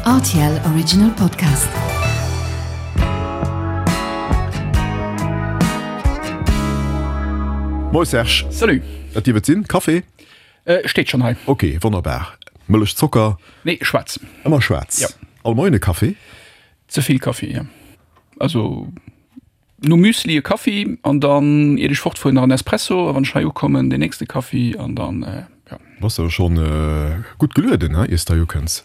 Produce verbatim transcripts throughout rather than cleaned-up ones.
R T L Original Podcast. Moie Serge. Salut. Wat dierf et sinn? Café? Äh, steet schonn hei. Ok, wonnerbar. Mëllech, Zocker? Nee, schwaarz. Ëmmer schwaarz? Ja. All Moien e Café? Ze vill Kaffi, ja. Also nom Müsli e Kaffi an dann iert ech fortfueren nach en Espresso a wann ech hei ukommen den nächste Kaffi an dann ja. Bass awer schonn gutt gelueden, he, iers de hei ukënns.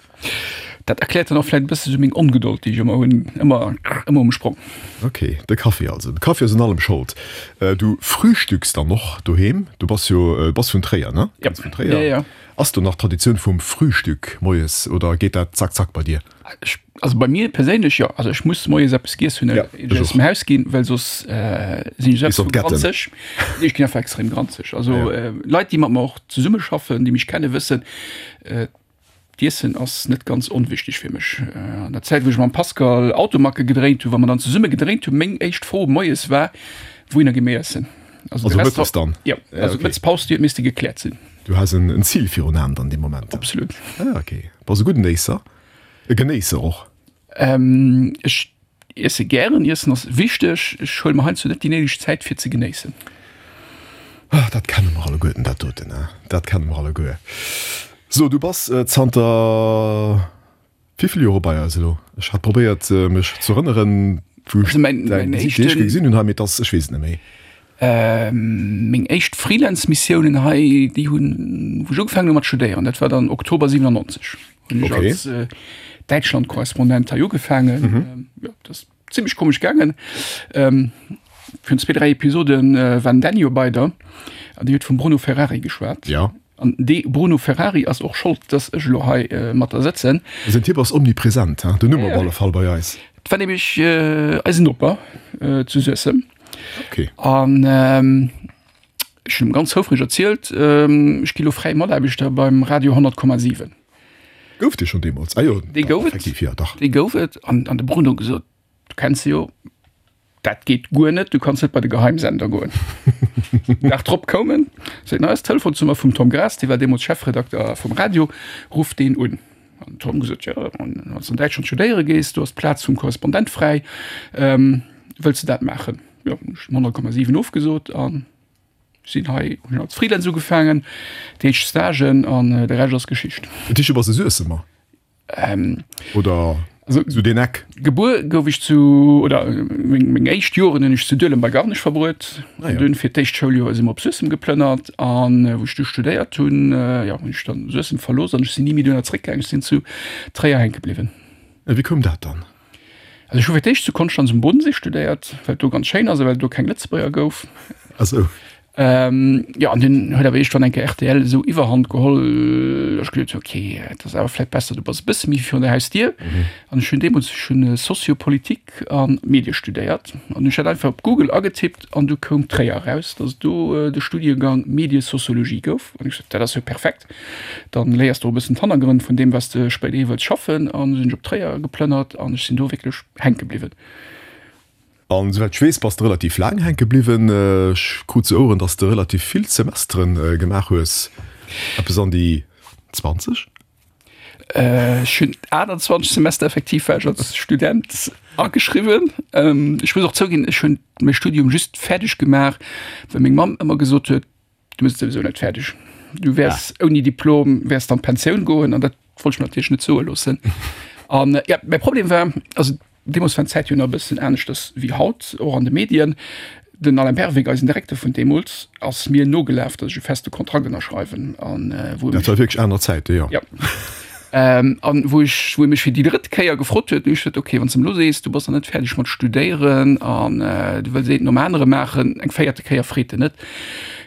Dat erkläert dann och vläit e bësse sou meng Ongedold, déi ech ëmmer hunn, ëmmer ëmmer um Sprong. Ok, de Kaffi also. De Kaffi ass un allem Schold. Du frühstücks dann och doheem? Du bass jo, bass vun Tréier, ne? Ja. Kënns vun Tréier. Ja, ja. Ass do nach d'Traditioun vum Frühstück moies oder geet dat zack zack bei dir? Ech, also bei mir perséinlech jo. Also ech muss moies eppes giess hunn, Ja, ier ech ech aus och. dem Haus ginn, well soss sinn ech Gees op extrem d'Getten. granzeg. Nee, ech ginn einfach extrem granzeg. Also Ah ja. Leit, déi mat mer och zesummeschaffen, déi mech kennen, wëssen, d'Iessen ass net ganz onwichtig fir mech. An der Zäit, wou ech mam Pascal Automacke gedréint hunn, wa mer dann zesumme gedréint hunn, meng éischt Fro moies war, Wouhinner gi mir iessen? Also de Rest mëttes dann? Ja, also d'Mëttespaus, déi huet misste gekläert sinn. Du has en Zil virun Aen dann dee Moment? Absolut. Ah, okay. Bass e gudden Éisser? E Genéisser och? Ech iesse gären. Iessen ass wichteg. Ech huele mer heiansdo net déi néideg Zäit fir ze genéissen. Ah, dat kenne mer alleguerten, dat doten, hein. Dat kenne mer alleguer. So, du bass zanter wéi vill Jore bei eis elo? Ech hat probéiert, mech ze erënneren, wou ech däi Gesiicht déi éischt Kéier gesinn hunn hei, mee et ass, ech weess et net méi. Meng éischt Freelance-Missiounen hei, déi hunn, wou ech ugefaangen hu mat studéieren, dat war dann Oktober siwenannonzeg, hunn ech als Däitschland-Korrespondent hei ugefaangen. Jo, dat ass zimmlech komesch gaangen. Virun zwee, dräi Episode war den Dany jo bei der an dee huet vum Bruno Ferrari geschwat. Ja. An dee Bruno Ferrari ass och Schold, dass ech elo hei mat der sëtzen. Säin Typ ass omnipresent, hein, den Numm op alle Fall bei eis. Et war nämlech eisen Noper zu Suessem. Okay. An ech hunn em ganz houfreg erzielt, ech gi lo fräi Mataarbechter beim Radio honnert Komma siwen. Gouf dee schonn deemools? Ah jo, Dee gouf et. Effektiv, jo, dach. Dee gouf et. An an de Bruno gesot, du kenns se jo, dat geet guer net, du kanns net bei de Geheimsender goen. Dag drop koum en, seet, hei ass d'Telefonsnummer vum Tom Graas, dee war deemools Chefredakter vum Radio, ruff deen un. An den Tom gesot, jo, wann s de an Däitschland studéiere gees, do ass d'Plaz vum Korrespondent fräi, wëlls de dat maachen? Jo, hunn ech honnert Komma siwen ofgesot an sinn hei, hunn als Freelance ugefaangen, déi éischt Stagen an de Rescht ass Geschicht. Dat heescht, du bass e Suessemer? Oder sou deen Eck? Gebuer gouf ech zu, oder meng, meng éischt Joren hunn ech zu Duelem bei Garnech verbruet. Ah ja. An dunn fir d'éischt Schouljoer si mer op Suessem geplënnert an wou ech du studéiert hunn, jo, hunn ech dann Suessem verlooss an ech sinn ni méi dohinner zréckgaangen. Ech sinn zu Tréier hänke bliwwen. A wéi koum dat dann? Also ech hu fir d'éischt zu Konstanz um Bodensee studéiert, well et do ganz schéin ass a well et do keng Lëtzebuerger gouf. Ah sou. Jo, an dunn huet awer iergendwann eng Kéier R T L esou Iwwerhand geholl, datt ech geduet hunn, ok, et ass awer vläicht besser, du bass e bësse méi virun der Hausdier. An ech hunn deemools, ech hunn Sociopolitik a Medie studéiert an ech hat einfach op Google agetippt an du koum Tréier eraus, datt et do de Studiegang Mediesociologie gouf. An ech gesot, dat ass jo perfekt, dann léiers de och e bëssen d'Hannergrënn vun deem, wat s de spéiderhi wëlls schaffen. An du sinn ech op Tréier geplënnert an ech sinn do wierklech hänke bliwwen. An souwäit ech weess, bass de relativ laang hänke bliwwen. Ech krut zu Oueren, dass de relativ vill Semesteren gemaach hues, eppes an déi zwanzeg? Ech hunn aachtanzwanzeg Semester effektiv war ech als Student ageschriwwen. Ech muss och zouginn, ech hunn mäi Studium just fäerdeg gemaach, well meng Mamm ëmmer gesot huet, Du méchs et souwisou net fäerdeg. Du wäers ouni Diplom wäers de an d'Pensioun goen. An dat wollt ech mir natierlech net soe loossen. An ja, mäi Problem war, also deemools war d'Zäit jo nach e bëssen aneschters wéi haut, och an de Medien. Den Alain Berwick, eisen Direkter vun deemools, ass mir nogelaf, datt ech e feste Kontrakt ënnerschreiwen. An wou e Dat mech. war wierklech aner Zäite, jo. Ja. An wou ech, wou e mech fir déi drëtt Kéier gefrot huet, hunn ech gesot, ok, wann s de elo sees, du bass nach net fäerdeg mat studéieren an du wëlls eent nom anere maachen, eng véierte Kéier freet en net.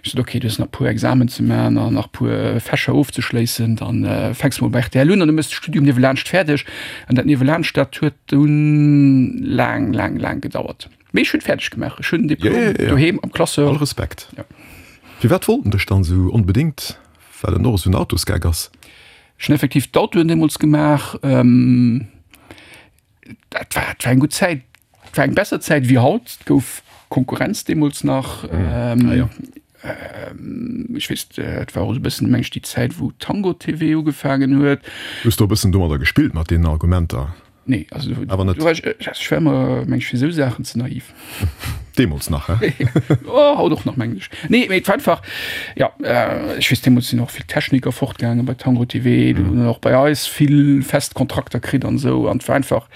Ech sot, ok, du hues nach e puer Examen ze maachen an nach e puer Fächer ofzeschléissen, dann fänks de mol bei R T L un an du méchs de Studium niewelaanscht fäerdeg. An dat niewelaanscht, dat huet dunn laang, laang, laang gedauert. Mee ech hunn et fäerdeg gemaach, ech hunn den Diplom doheem am Classeur. All Respekt. Firwat wollt en dech dann esou onbedéngt? Well en och esou en Autosgeck ass? Ech hunn effektiv d'Autoen deemools gemaach. Dat war, dat war eng gutt Zäit. Dat war eng besser Zäit wéi haut. Et gouf Konkurrenz deemools nach. Ah jo. Ech weess, et war och esou e bëssen, meng ech, déi Zäit, wou Tango T V ugefaangen huet. Hues de och e bëssen domadder gespillt, mat deenen Argumenter? Nee, also do, Awer net. do war ech, ech war ëmmer, meng ech, fir esou Saachen ze naiv. Deemools nach, he? Oh, haut och nach, mengen ech. Nee, mee et war einfach, jo, ech weess, deemools sinn och vill Techniker fortgaangen bei Tango T V, do hunn och bei eis vill fest Kontrakter kritt an esou, an et war einfach,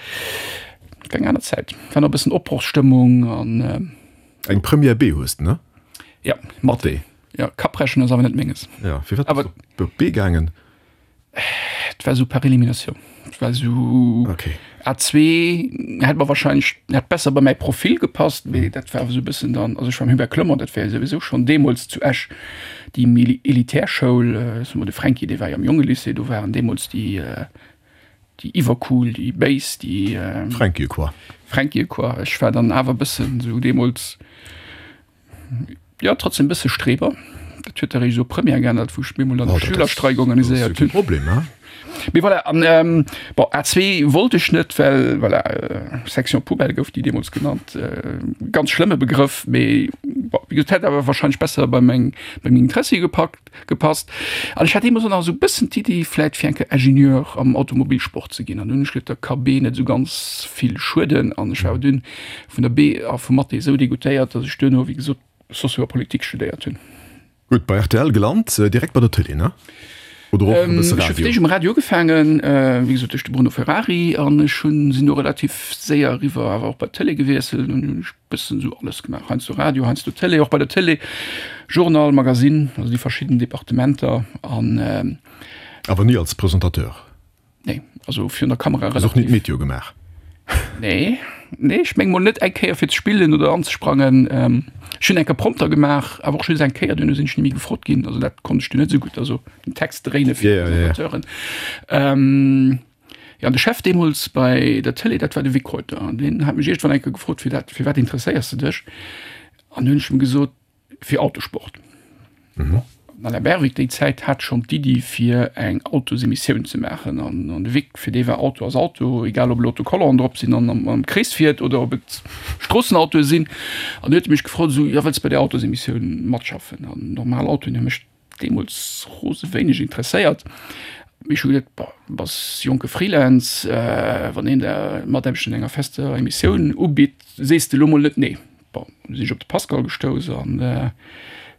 et war eng aner Zäit, et war nach e bëssen Opbrochsstëmmung an. Eng Première B hues de, ne? Ja, Mathé. Ja, Kapprechen ass awer net menges. Ja, firwat bass du op B gaangen? Et war esou par élimination. Et war esou okay. A zwee hätt mer wahrscheinlech hätt besser bei mäi Profil gepasst, mee dat war awer esou e bëssen dann, also ech war am Hubert Clement, dat war jo souwisou schonn deemools zu Esch déi méi elitär Schoul. Soe mer de Fränki, dee war jo am Jongelycée, do waren deemools déi déi iwwercool, déi béis, déi. Fränkie quoi. Fränkie quoi. Ech war dann awer e bëssen esou deemools, jo, trotzdem e bësse Streber. Dat huet eréischt esou Première geännert, wou ech bemol dann de Schülerstreik organiséiert hunn. Problem, hein? Mee voilà, an bon, A zwee wollt ech net, well voilà, Section Poubelle gouf déi deemools genannt, ganz schlëmme Begrëff, mee bon, wéi gesot, hätt awer wahrscheinlech besser bei meng, bei meng Interessie gepackt. Gepasst. An ech hat deemools och nach esou e bëssen d'Iddi, vläit fir eng Kéier Ingenieur am Automobilsport ze ginn. An dunn hunn ech geduet, da ka B net esou ganz vill schueden. An ech war awer dunn vun der B a vu Mathé esou degoûtéiert, datt ech duerno, wéi gesot, Socio a Politik studéiert hunn. Gutt, bei R T L gelant, direkt bei der Tëlee, ne? Oder och e bësse Ech hu Radio? fir d'éischt um Radio ugefaangen, wéi gesot duerch de Bruno Ferrari, an ech hunn, sinn do relativ séier eriwwer awer och bei d'Tëlee gewiesselt. An hunn ech bëssen esou alles gemaach, heiansdo Radio, heiansdo Tëlee, och bei der Tëlee Journal, Magasinn, also déi verschidden Departementer an. Awer ni als Presentateur? Nee, also virun der Kamera Hues och ni relativ. d'Meteo gemaach? Nee, nee, ech meng mol net eng Kéier fir ze spillen oder anzesprangen. Ech hunn eng Kéier Prompter gemaach, awer och just eng Kéier, duerno sinn ech ni méi gefrot ginn. Also dat konnt ech dunn net esou gutt, also den Text dréine fir Ja, ja, ja. d'Presentatoren. Ähm, jo, an de Chef deemools bei der Tëlee, dat war de Vic Reuter. An deen hat mech iergendwann eng Kéier gefrot, fir dat, fir wat interesséiers de dech? An du hunn ech em gesot, fir Autosport. Mhm. Den Alain Berwick déi Zäit hat schonn d'Iddi fir eng Autosemissioun ze maachen an an de Vic, fir dee war Auto ass Auto, egal ob elo Autocollante drop sinn an am am Krees fiert oder ob et Stroossenautoe sinn. An du huet e mech gefrot esou, jo wëlls de bei där Autosemissioun matschaffen? An normal Autoen hu mech deemools rose wéineg interesséiert. Mee ech hu geduet, bon, bass jonke Freelance, wann een der Mataarbecht an enger fester Emissioun ubitt, sees de elo mol net nee. Bon, du sinn ech op de Pascal gestouss an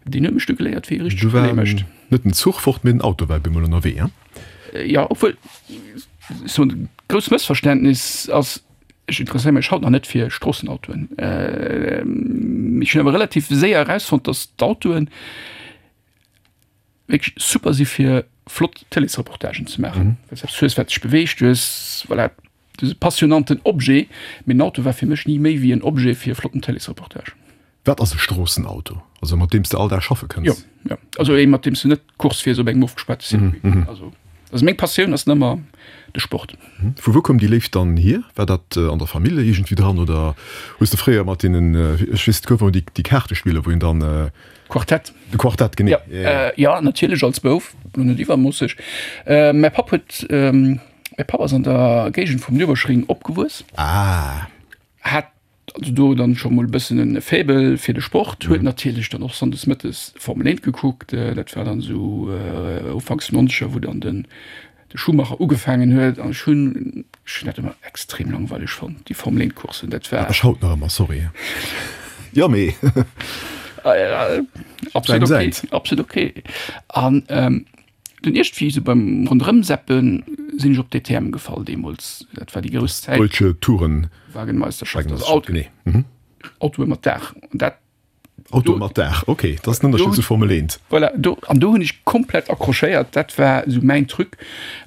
deen huet mech du geléiert, wéi ee richteg Du war Relais mécht. net den Zuch fort, mee den Auto war op eemol ënnerwee, hein? Jo, obwuel, ech soen, grousst Mëssverständnis ass, ech interesséiere mech haut nach net fir Stroossenautoen. Ech hunn awer relativ séier erausfonnt, datt d'Autoen wierklech super si fir flott Tëleesreportagen ze maachen, well s eppes hues, wat sech beweegt, du hues, voilà, Du hues e passionanten Objet, mee den Auto war fir mech ni méi wéi en Objet fir e flotten Tëleesreportage. Wat ass e Stroossenauto? Also mat deem s de all Dag schaffe Jo, kënns? jo. Also ee mat deem s de net Course fiers op engem ofgespaarte Circuit. Also, also meng Passioun ass nëmmer de Sport. Vu wou koum déi Léift dann hier? War dat an der Famill iergendwéi dran oder hues de fréier mat deenen, ech weess et gouf ëmmer déi déi Kaartespiller wou een dann. Quartett. De Quartett, genee. Jo, jo, natierlech als Bouf, lo net iwwermoosseg. Mäi Papp huet. Mäi Papp ass an der Géigend vum Nürburgring opgewuess. Ah. Hat also do dann scho mol e bëssen e Faible fir de Sport, huet natierlech dann och sonndes mëttes Formel eent gekuckt. Dat war dann esou ufanks nonzeger, wou dann den de Schumacher ugefaangen huet. An ech hunn, ech hunn dat ëmmer extrem langweileg fonnt, déi Formel eent Courssen. Dat war. Ech haut nach ëmmer, sorry. Jo, mee. Absolut okay, absolut okay. An Dunn iergendwéi sou beim Ronderëmseppen sinn ech op D T M gefall deemools. Dat war déi grouss Zäit. Deutsche Touren. Wagenmeisterschaft, also Auto, Genee. Mhm. Autoe mat Daach. An dat. Autoe mat Daach, okay, dat ass den Ënnerscheed zu Formel eent. Voilà, do, an do hunn ech komplett accrochéiert. Dat war esou mäin Truc.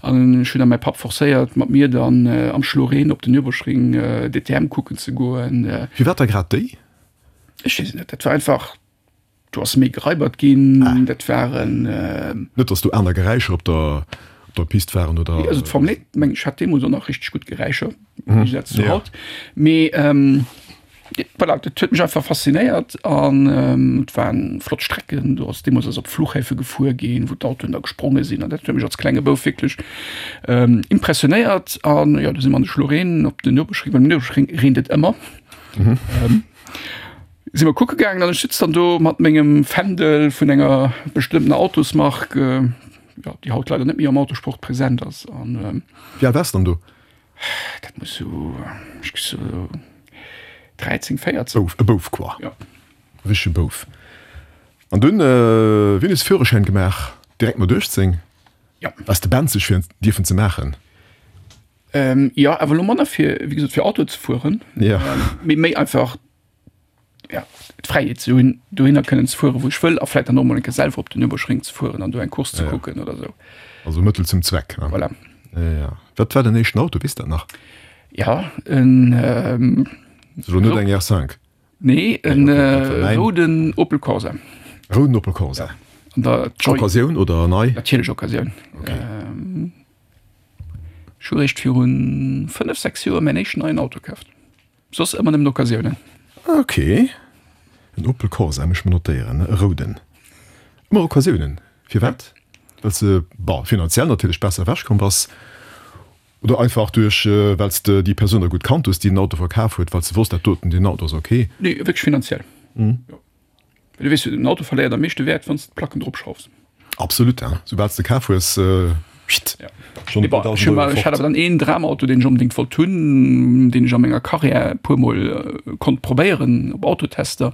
An ech hunn da mäi Papp forcéiert, mat mir dann am Schloreen op den Nürburgring D T M kucken ze goen. Firwat da grad déi? Ech weess et net, dat war einfach. Do ass méi gereibert ginn, dat waren. Net datt do aner Geräischer op der op der Pist waren, oder? Nee, also d'Formel eent, meng ech, hat deemools och nach richteg gutt Geräischer, am Géigesaz zu haut. Mee voilà, dat huet mech einfach faszinéiert an et waren flott Strecken. Do ass deemools ass op Fluchhäfe gefuer ginn, wou d'Autoen da gespronge sinn an dat huet mech als klenge Bouf wierklech impressionéiert. An jo, du si mer an de Schloreen op den Nürburgring, well um Nürburgring reent et ëmmer. Si mer kucke gaangen an ech sitz dann do mat mengem Fändel vun enger bestëmmtener Autosmark, jo, déi haut leider net méi am Autosport present ass. An Wéi al waars de dann do? Dat muss sou, ech gi sou dräizéng, véierzéng. Bouf, e Bouf quoi. Jo. E richtege Bouf. An dunn, wéini hues de Führerschäin gemaach? Direkt mat uechtzéng? Jo. Waars de benzeg fir en dierfen ze maachen? Jo, awer elo manner fir, wéi gesot, fir Auto ze fueren, mee méi einfach, ja, d'Fräiheet ze hunn, dohinner kënnen ze fueren, wou ech wëll, a vläicht dann och mol eng Kéier selwer op den Nürburgring ze fueren an do eng Course ze kucken oder esou. Also Mëttel zum Zweck, ne? Voilà. Ja, ja. Wat war däin éischten Auto, weess de dat nach? Ja, en. Ass elo net eng R cinq? Nee, en rouden Opel Corsa. Rouden Opel Corsa. An der Joy. Occasioun oder nei? Natierlech Occasioun. Okay. Ech hu réischt viru fënnef, sechs Joer mäin éischten neien Auto kaaft. Soss ëmmer nëmmen Occasiounen. Ok, en Opel Corsa, muss ech mer notéieren, e rouden. Ëmmer Occasiounen, firwat? Well s de, bon, finanziell natierlech besser ewechkomm bass oder einfach duerch, well s de déi Persoun da gutt kannt hues, déi den Auto verkaf huet, well s de wosst, dat doten, deen Auto ass ok? Nee, wierklech finanziell. Jo. Well du weess jo, den Auto verléiert am meeschte Wäert, wann s de d'Placken dropschraufs. Absolut, hein. Soubal s de kaf hues, pst, schonn e puer dausend Euro Ech hat fort. awer dann een Dramauto, deen ech onbedéngt wollt hunn, deen ech a menger Karriär e puermol konnt probéieren op Autotester.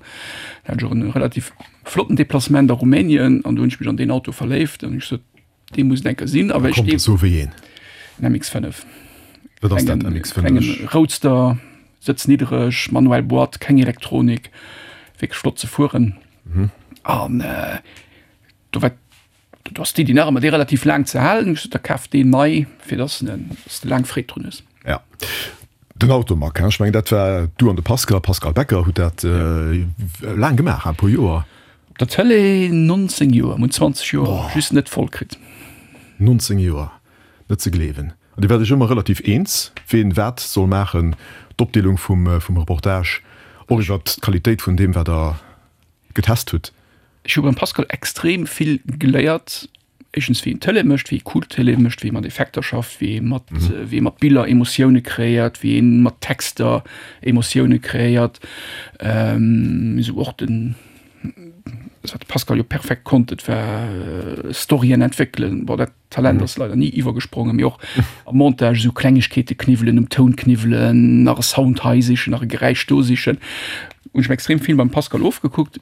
Da hat ech och e relativ flotten Deplacement a Rumänien an do hunn ech mech an deen Auto verléift an hu ech gesot, dee muss et eng Kéier sinn. A well ech Kommt, dee. so wéi een. En M X fënnef. Wat ass dat, M X fënnef? Klengen Roadster, sëtz niddereg, manuell Boîte, keng Elektronik, wierklech flott ze fueren. An do war do ass d'Iddi nach ëmmer, dee relativ laang ze halen. Ech sot, da kaf deen nei, fir dass en, dass de laang Freed drun hues. Ja, den Automag, ech mengen, dat war du an de Pascal, Pascal Becker hutt dat laang gemaach, e puer Joer. Op der Tëlee nonzéng Joer, mir hunn zwanzeg Joer just net voll kritt. Nonzéng Joer, net ze gleewen. An Dir waart Iech ëmmer relativ eens, ween wat soll maachen, d'Opdeelung vum Reportage, och iwwert d'Qualitéit vun deem, wat Der getest hutt. Ech hu beim Pascal extrem vill geléiert, éischtens wéi een Tëlee mécht, wéi ee cool Tëlee mécht, wéi ee mat Effekter schafft, wéi ee mat, wéi ee mat Biller Emotioune kreéiert, wéi ee mat Texter Emotioune kreéiert. Esou och den, dat wat de Pascal jo perfekt konnt, dat war Storyen entwéckelen. Bon, dat Talent ass leider ni iwwergesprongen, mee och am Montage esou Klengegkeete kniwwelen, um Toun kniwwelen, nach e Sound hei sichen, nach e Geräisch do sichen, hunn ech mer extrem vill beim Pascal ofgekuckt.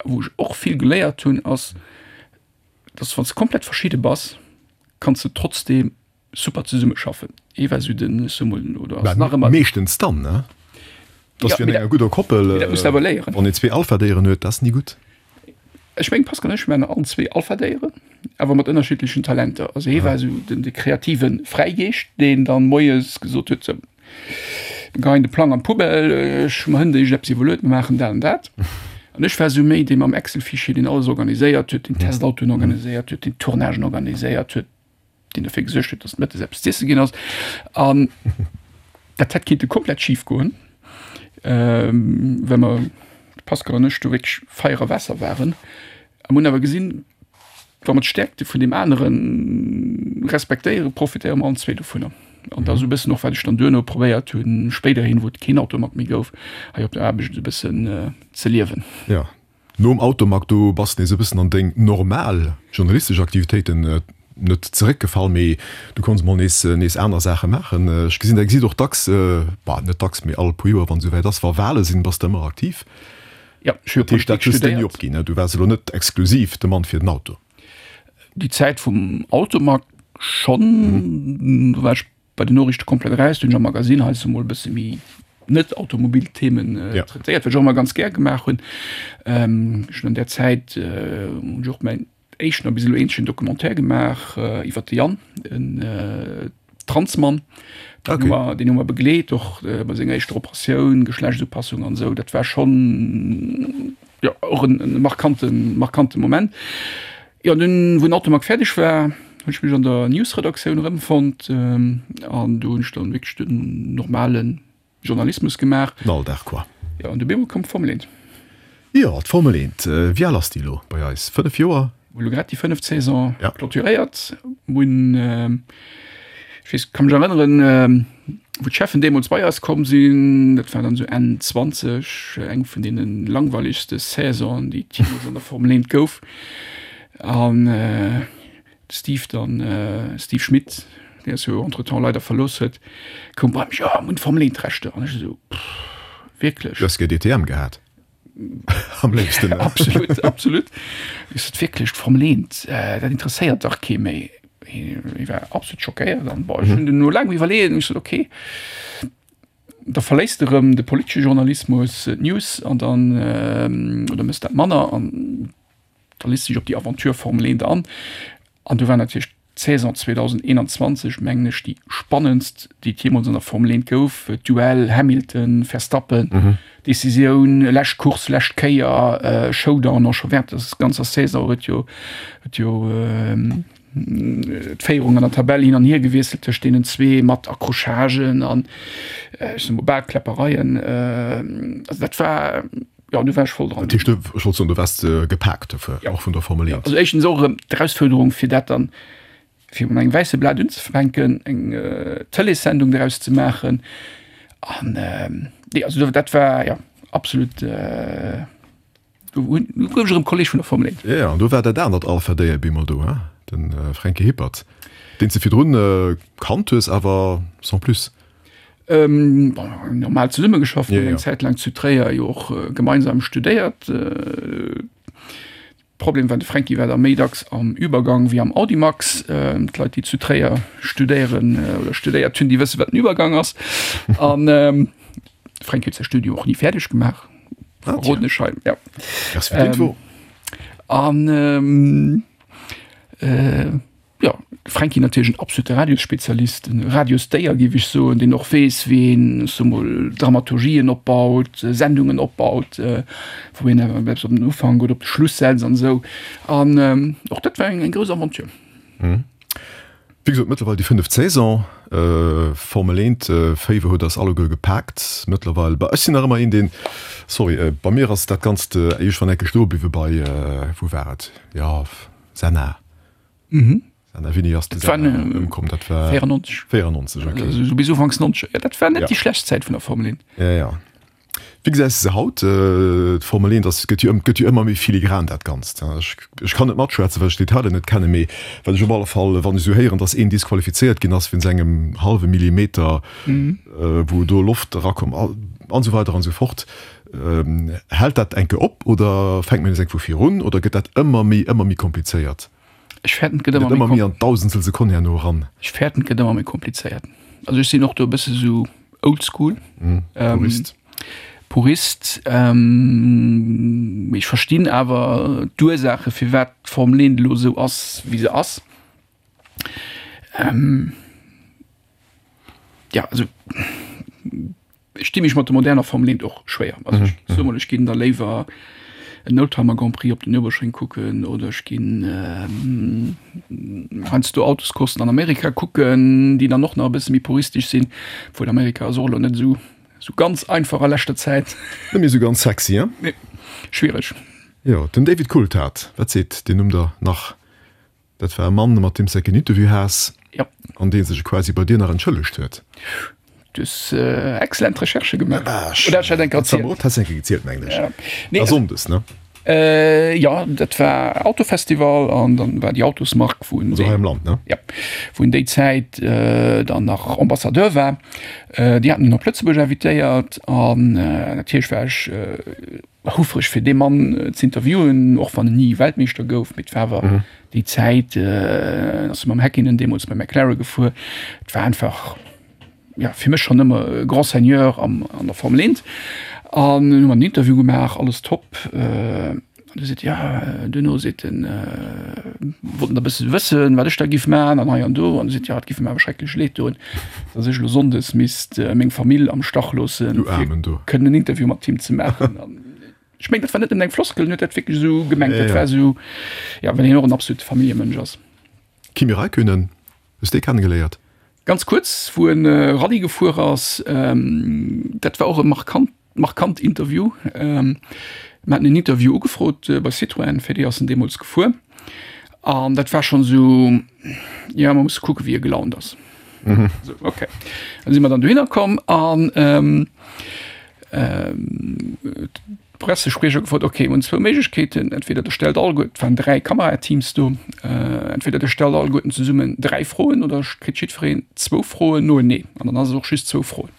Wou ech och vill geléiert hunn, ass, dass wann s de komplett verschidde bass, kanns de trotzdeem super zesummeschaffen. Ee war esou den, ech soe mol, oder ass nach ëmmer. Meeschtens dann, ne? Dass wéi an enger gudder Koppel, Mee dat muss de awer léieren. Wann een zwee Alpha-Déieren huet, dat ass ni gutt. Ech mengen, Pascal an ech waren allen zwee Alpha-Déieren, awer mat ënnerschiddlechen Talenter. Also hie war esou den, de kreative Fräigeescht, deen dann moies gesot huet, sou, Mir geheien de Plang an d'Poubelle, ech hu mer hënt iergendeppes iwwerluet, mir maachen dat an dat. An ech war esou méi dee mam Excel-Fichier, deen alles organiséiert huet, deen d'Testautoen organiséiert huet, deen d'Tournagen organiséiert huet, deen dofir gesuergt huet, datt mëttes eppes z'iesse ginn ass. An dat hätt kinnte komplett schif goen, well mer, de Pascal an ech, do wierklech Feier a Waasser waren. A mer hunn awer gesinn, wa mer d'Stäerkte vun deem anere respektéieren, profitéiere mer allen zwee dovunner. An dat ass esou e bëssen och, wat ech dann duerno probéiert hunn, spéiderhin, wou et keen Auto mat méi gouf, hei op der Aarbecht esou e bëssen ze liewen. Jo, nom Automag, do bass de nees e bëssen an deng normal journalistesch Aktivitéiten net zeréckgefall, mee du konns mol nees nees aner Saache maachen. Ech gesinn, der gesitt och dacks, bah, net dacks, mee all puer Joer, wann esouwäit ass, wa Wale sinn, bass de ëmmer aktiv. Jo, ech hu jo Dat heescht, Politik dat hues de ni studéiert. opginn, ne? Du waars elo net exklusiv de Mann fir den Auto. Déi Zäit vum Automag schonn, do war ech bei den Noriichte komplett eraus, do hunn ech am Magasinn heiansdo mol e bësse méi net automobil Themen traitéiert, wat ech och ëmmer ganz gär gemaach hunn. Ech hunn an där Zäit hunn ech och mäin éischten a bis elo eenzegen Documentaire gemaach iwwer de Yann, en Transmann, deen hu mer, deen hu mer begleet och bei senger éischter Operatioun, Geschlechtsupassung an esou. Dat war schonn, jo, och en markante, markante Moment. Jo, an dunn, wou den Automag fäerdeg war, hunn ech mech an der News-Redaktioun erëmfonnt an do hunn ech dann wierklech den normale Journalismus gemaach. Den Alldag quoi. Jo, an du bemol koum d'Formel eent. Jo, d'Formel eent. Wéi al ass déi elo bei eis? Fënnef Joer? Mir hu elo grad déi fënneft Saison Ja. clôturéiert. Mir hunn, ech weess, ka mech erënneren, wou d'Cheffen deemools bei eis komm sinn, dat war dann esou Enn zwanzeg, eng vun deene langweilegste Saisonen, déi et jeemools an der Formel eent gouf. An de Steve dann, Steve Schmit, deen eis jo entretemps leider verlooss huet, koum bei mech, Jo, mir hunn d'Formel eent Rechter. An ech esou, Pff, wierklech? Du häss gär D T M gehat. Am léifsten. Absolut, absolut. Ech sot, Wierklech, d'Formel eent, dat interesséiert dach kee méi. Hie war absolut schockéiert an bon, ech hunn dunn no laangem Iwwerleeën hunn ech gesot, okay, da verléiss de rëm de politesche Journalismus, d'News an dann, oder mëss dat manner an da léiss dech op déi Aventure Formel eent an. An du war natierlech d'Saison zweedausendeenanzwanzeg, mengen ech, déi spannendst, déi et jeemools an der Formel eent gouf. Duell Hamilton, Verstappen, Decisioun, lescht Course, lescht Kéier, Showdown och scho während der ganzer Saison huet jo, huet jo d'Féierung an der Tabell hin an hier gewiesselt tëscht deenen zwee mat Accrochagen an ech soe mol bal Kläppereien. Also dat war, jo, do war ech voll dran. Dat heescht, ech wollt soen, du waars gepaakt dofir, och vun der Formel eent. Also éischtens och erëm d'Erausfuerderung, fir dat dann, fir mat engem wäisse Blat unzefänken, eng Tëleessendung doraus ze maachen. An nee, also dat war, jo, absolut. Do gouf ech erëm Kolleg vun der Formel eent. Jo, an do war dat anert Alpha-Déier bemol do, hein? De Fränki Hippert, deen s de virdrun kannt hues, awer sans plus. Bon, normal zesummegeschafft, hunn eng Zäit laang zu Tréier jo och gemeinsam studéiert. Problem war, de Fränki war da méi dacks am Übergang wéi am Audimax. D'Leit, déi zu Tréier studéieren oder studéiert hunn, déi wësse wat den Übergang ass. An de Fränki huet säi Studium och ni fäerdeg gemaach. Verroden ech hei, ja. Merci fir d'Info. An ähm, äh, ja, Fränki natierlech en absolute Radiosspezialist, en Radiosdéier géif ech soen, deen och weess, wéi een, ech soe mol, Dramaturgien opbaut, Sendungen opbaut, äh, wou een awer eppes op den Ufank oder op de Schluss setzt an esou. An ähm, och dat war eng, eng grouss Aventure. Mhm. Wéi gesot, mëttlerweil déi fënneft Saison. Formel eent Féiwer huet eis alleguer gepaakt mëttlerweil. Bah, ech sinn nach ëmmer een, deen, sorry, bei mir ass dat Ganzt iergendwann enke stoe bliwwe bei, wou war et, jo, Senna. Senna, wéini ass de Senna ëmkomm? Dat war véierennonzeg. véierennonzeg, okay. Esou bis ufanks nonzeger. Jo, dat war net déi schlecht Zäit vun der Formel eent. Jo, jo. Wéi gesäis de se haut, d'Formel eent? Ass, gëtt jo, gëtt jo ëmmer méi filigran dat Ganzt. Ech, ech kann net matschwätzen, well ech d'Detailer net kennen, mee wat ech op alle Fall, wann ech esou héieren, datt een disqualifizéiert ginn ass wéinst engem hallwe Millimeter, wou do Loft erakomm an esou weider an esou fort. Hält dat enke op oder fänkt mir nees eng vu vir un oder gëtt dat ëmmer méi, ëmmer méi komplizéiert? Ech fäerten, et gëtt ëmmer méi Gëtt ëmmer méi an d'Dausendstel Sekonn herno eran? Ech fäerten, et gëtt ëmmer méi komplizéiert. Also ech sinn och do e bësse sou Oldschool. Purist. Purist. Mee ech verstinn awer d'Ursaache firwat d'Formel eent elo esou ass, wéi se ass. Jo, also ech di mech mat der moderner Formel eent och schwéier. Also ech soe mol, ech ginn da léiwer en Oldtimer Grand Prix op den Nürburgring kucken oder ech ginn heiansdo Autoscoursen an Amerika kucken, déi dann och nach e bësse méi puristesch sinn, obwuel Amerika ass och elo net esou esou ganz einfach a leschter Zäit. Net méi esou ganz sexy, hein? Nee, schwiereg. Jo, den David Coulthard, wat seet deen Numm der nach? Dat war e Mann, mat deem s de en Interview has. Jo. An dee sech quasi bei dir nach entschëllegt huet. Du hues excellent Recherchë gemaach. Oder hat ech dat enker erzielt? Dat has de enker gezielt, mengen ech. Ja. Nee, A Sonndes, ne? Jo, dat war Autofestival an dann war déi Autosmark, wou en Also hei am Land, ne? Ja, wou en déi Zäit dann nach Ambassadeur war. Déi haten en op Lëtzebuerg invitéiert an natierlech war ech houfreg fir dee Mann ze interviewen, och wann en ni Weltmeeschter gouf, mee et war awer déi Zäit, en ass mam Häkkinen deemools bei McLaren gefuer, et war einfach, ja, fir mech schonn ëmmer e Grand Seigneur am, an der Formel eent. An hunn mer en Interview gemaach, alles top. An du seet, ja, duerno seet en, wollt en da bësse wëssen, wat ech da giff maachen an hei an do. An du seet, ja, et giff em awer schrecklech leed doen, datt ech elo sonndes misst meng Famill am Stach loossen, fir kënnen en Interview mat him ze maachen. An ech mengen, dat war net nëmmen eng Floskel, en huet dat wierklech esou gemengt. Dat war esou, ja, well hien och en absolute Familljemënsch ass. Kimi Räikkönen, hues dee kennegeléiert? Ganz kuerz, wou en Rallye gefuer ass, dat war och e markant, markant Interview. Mir haten en Interview ugefrot bei Citroën, fir déi ass en deemools gefuer. An dat war schonn esou, jo, mer musse kucke wéi e gelaunt ass. Mhm. So, okay. Dann si mer dann dohinner komm an ähm, ähm, Pressespriecher gefrot, okay, hunn zwou Méiglechkeeten, entweder der stellt alleguer, et waren dräi Kamerateams do, äh, entweder der stellt alleguerten zesummen dräi Froen oder kritt jiddwereen zwou Froen noenee. An dann ass et och just zwou Froen.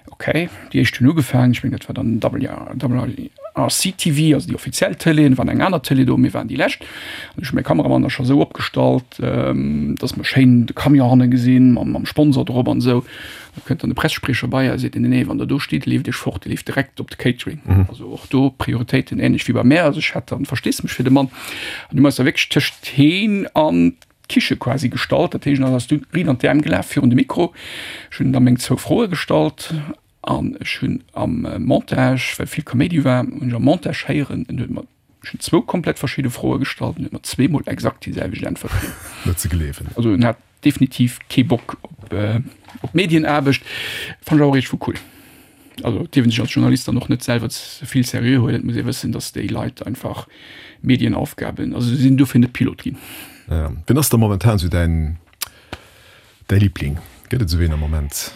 Okay, déi éischt hunn ugefaangen, ech mengen dat war dann W R C T V, also déi offiziell Tëlee, et war eng aner Tëlee do, mir waren déi lescht. An ech hu mäi Kameramann da scho sou opgestallt, dass mer schéin de Camion hanne gesinn, mam, mam Sponsor drop an esou. Da kënnt dann de Pressespriecher bei a seet, nee, nee, wann der do steet, leeft iech fort, Dir leeft direkt op de Catering. Also och do Prioritéiten ähnlech wéi bei mär. Also ech hat dann Versteesdemech fir de Mann. An du hu mer eis da wierklech tëscht heen an d'Kiche quasi gestallt. Dat heescht, en ass du riit an d'Äerm gelaf virun de Mikro. Ech hunn da meng zwou Froe gestallt an ech hunn am Montage, well vill Kaméidi war, hunn ech am Montage héieren, en huet mer, ech hunn zwou komplett verschidde Froe gestallt, en huet mer zweemol exakt déi selwecht Äntwert ginn. Net ze gleewen. Also en hat definitiv kee Bock op, op Medienaarbecht. Fannen ech awer och iergendwou cool. Also et dierf een sech als Journalist dann och net selwer ze vill seriö huelen. Et muss ee wëssen, datt déi Leit einfach Medienaufgaben, also se sinn dofir net Pilot ginn. Ja. Wien ass da momentan sou däin, däi Liebling? Gëtt et esou een am Moment?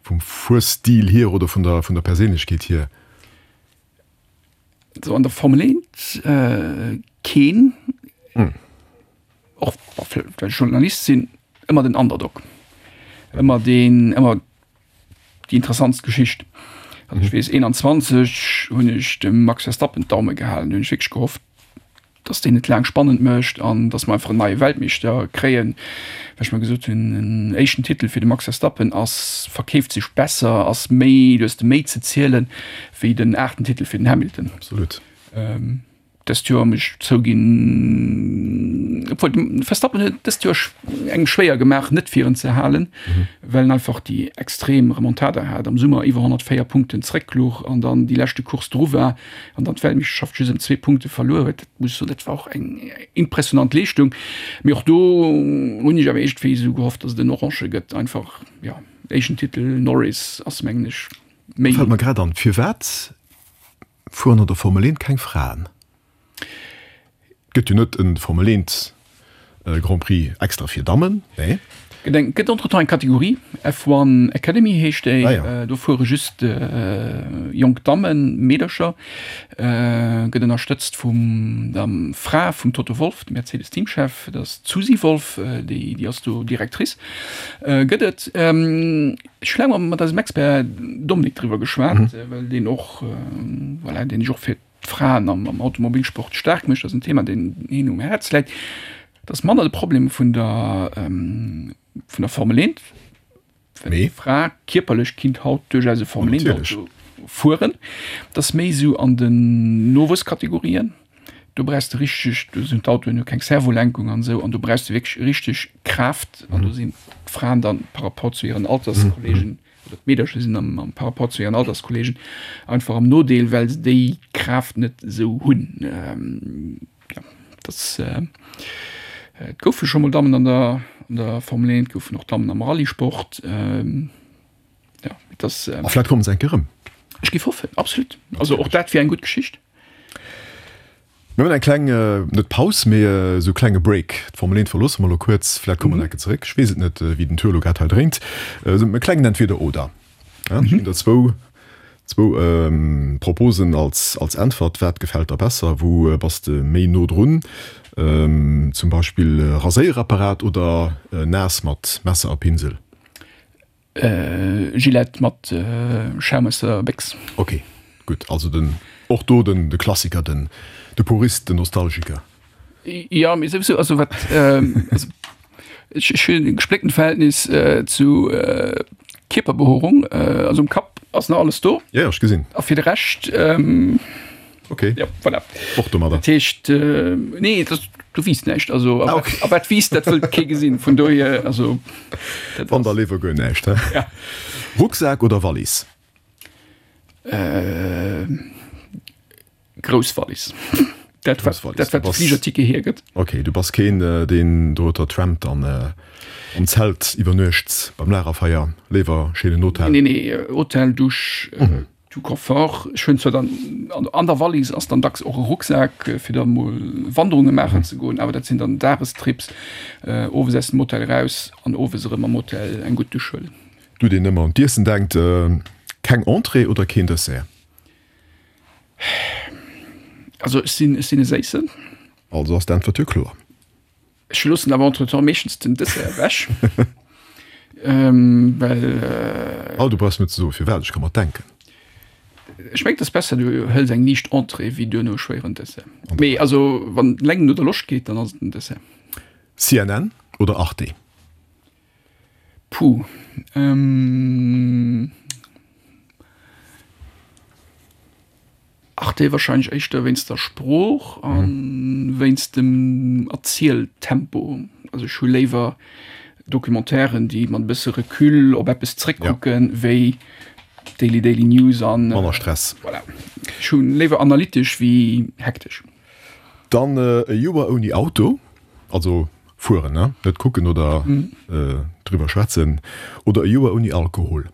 Vum Fuerstil hier oder vun der, vun der Perséinlechkeet hier? So an der Formel eent keen. Och well ech Journalist sinn, ëmmer den Underdog. Ëmmer deen, ëmmer déi interessantst Geschicht. Also ech weess eenanzwanzeg hunn ech dem Max Verstappen d'Daume gehalen, hunn ech wierklech gehofft, datt deen et laang spannend mécht an datt mer einfach en neie Weltmeeschter kréien, well ech mer gesot hunn, en éischten Titel fir de Max Verstappen ass, verkeeft sech besser, ass méi, du hues de méi ze zielen, wéi den aachten Titel fir den Hamilton. Absolut. Dëst Joer muss ech zouginn, obwuel de Verstappen huet dëst Joer engem schwéier gemaach net fir en ze halen, well en einfach déi extrem Remontada hat, am Summer iwwer honnertvéier Punkten zrécklouch an dann déi leschte Course dru war an dann d'Weltmeeschterschaft just ëm zwee Punkte verluer huet. Dat muss ech soen, dat war och eng impressionant Leeschtung. Mee och do hunn ech awer iergendwéi esou gehofft, datt et en Orange gëtt. Einfach, jo, éischten Titel Norris ass mengen ech méi. Fält mer grad an, firwat fueren an der Formel eent keng Fraen? Gëtt jo net en Formel eent Grand Prix extra fir Dammen, nee? Gëtt eng, gëtt entretemps eng Kategorie, F one Academy heescht déi. Ah ja. Do fuere just jonk Dammen, Meedercher. Gëtt ënnerstëtzt vum der Fra vum Toto Wolff, dem Mercedes Teamchef, dat ass d'Susie Wolff, déi, déi ass do Directrice. Gëtt et, ech hu laang mat eisem Expert Dominique driwwer geschwat, well deen och, voilà, deen sech och fir d'Fraen am Automobilsport staark mécht, ass en Thema, deen hien um Häerz läit. Dat ass manner de Problem vun der, vun der Formel eent, well eng Fra kierperlech kinnt haut duerchaus e Formel eent Auto fueren. Dat ass méi esou an den Nowuesskategorien. Do brauchs de richteg, do sinn d'Autoen hu keng Servolenkung an esou, an do brauchs de wierklech richteg Kraaft an do sinn d'Fraen dann par rapport zu hiren Alterskollegen, oder d'Meedercher sinn am, am par rapport zu hiren Alterskollegen einfach am Nodeel, well se déi Kraaft net esou hunn. Ähm, ja, das, äh, et goufe scho mol Dammen an der, an der Formel eent, goufen och Dammen am Rallyesport. Ähm, ja, das, äh, A vläit kommen se eng Kéier erëm. Ech géif hoffen, absolut. Also och dat wier eng gutt Geschicht. Mir hunn eng kleng, net Paus, mee esou e klenge Break. D'Formel eent verloosse mer elo kuerz. Vläicht komme mer enke zeréck. Ech weess et net, wéi den Tour elo grad hei dréint. Esou e klengen Entweder-Oder. Ech ginn der zwou, zwou Proposen als, als Äntwert. Wat gefält der besser? Wou bass de méi no drun? Zum Beispill Raséierapparat oder naass mat Messer a Pinsel? Gillette mat Schaum aus der Béchs. Ok, gutt. Also den, och do den, de Klassiker, den, de Purist, den Nostalgiker. Jo, mee souwisou, also wat, also ech, ech hunn e gesplécktent Verhältnis zu Kierperbehoerung. Also um Kapp ass nach alles do. Jo, jo, ech gesinn. A fir de Rescht. Okay. Ja, voilà. Och domadder. Dat heescht, äh, nee, das, du wiest näischt. Also, ah, okay. a wat wiest, dat wëllt kee gesinn. Vun dohier, also. Wann der léiwer guer näischt, hä? Ja. Rucksak oder Wallis? Äh, grouss Wallis. Dat, wat, dat, wat de Fligerticket hiergëtt. Okay, du bass keen, deen do trampt an äh, am Zelt iwwernuecht beim Lagerfeier. Léiwer schéinen Hotel. Nee, nee, Hotel, Dusch, mhm. Tout Confort. Ech hunn zwar dann an der Wallis ass dann dacks och e Rucksak, fir da mol Wanderunge maachen ze goen, awer dat sinn dann Dagestrips, owes aus dem Hotel eraus an owes erëm am Hotel eng gutt Dusch huelen. Du deen ëmmer un d'Iessen denkt, keng Entrée oder keen Dessert? Also ech sinn, ech sinn e Séissen. Also ass d'Äntwert jo kloer. Ech loossen awer entretemps meeschtens den Dessert ewech, well. Oh, du brauchs net ze soen firwat, ech ka mer et denken. Ech mengen, et ass besser, du hëls eng liicht Entrée wéi duerno e schwéieren Dessert. Mee also wann et eleng no der Loscht geet, dann ass et den Dessert. C N N oder Arte? Puh. Ähm. Arte wahrscheinlech éischter wéinst der Sprooch a wéinst dem Erzieltempo. Also ech hu léiwer Documentairen, déi mat e bësse Recul op eppes zréckkucken, wéi Daily Daily News an. Manner Stress. Voilà. Ech hu léiwer analytesch wéi hektesch. Dann e Joer ouni Auto, also fueren, ne? Net kucken oder driwwer schwätzen, oder e Joer ouni Alkohol?